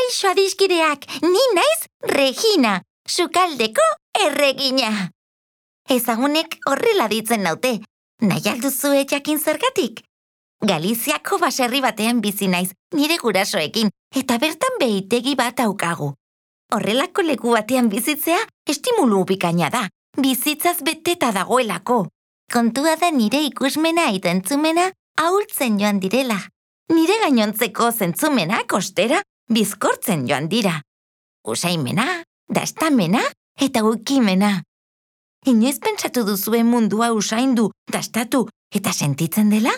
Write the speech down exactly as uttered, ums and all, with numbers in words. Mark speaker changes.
Speaker 1: Kaixo adiskideak, ni naiz Regina, sukaldeko erregina. Ezagunek horrela ditzen naute, nahi alduzue jakin zergatik? Galiziako baserri batean bizi naiz, nire gurasoekin, eta bertan behitegi bat aukagu. Horrelako leku batean bizitzea estimulu bikaina da, bizitzaz beteta dagoelako. Kontua da nire ikusmena eta entzumena ahultzen joan direla. Nire gainontzeko zentzumenak ostera bizkortzen joan dira. Usaimena, dastamena eta ukimena. Inoiz pentsatu duzue mundua usaindu, dastatu eta sentitzen dela?